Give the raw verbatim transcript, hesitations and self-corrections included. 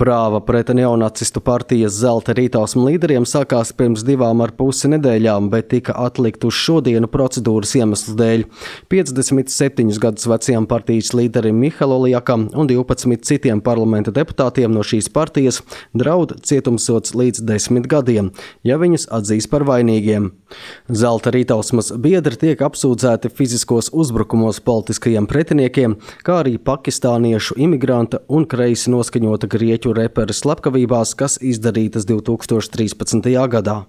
Prāva pret neonacistu partijas Zelta rītausmu līderiem sākās pirms divām ar pusi nedēļām, bet tika atlikt uz šodienu procedūras iemeslu dēļ. piecdesmit septiņus gadus vecajam partijas līderim Mihail Oljakam un divpadsmit citiem parlamenta deputātiem no šīs partijas draud cietumsods līdz desmit gadiem, ja viņus atzīs par vainīgiem. Zelta rītausmas biedri tiek apsūdzēti fiziskos uzbrukumos politiskajiem pretiniekiem, kā arī pakistāniešu imigranta un kreisi noskaņota grieķu reperu slepkavībās, kas izdarītas divtūkstoš trīspadsmitajā gadā.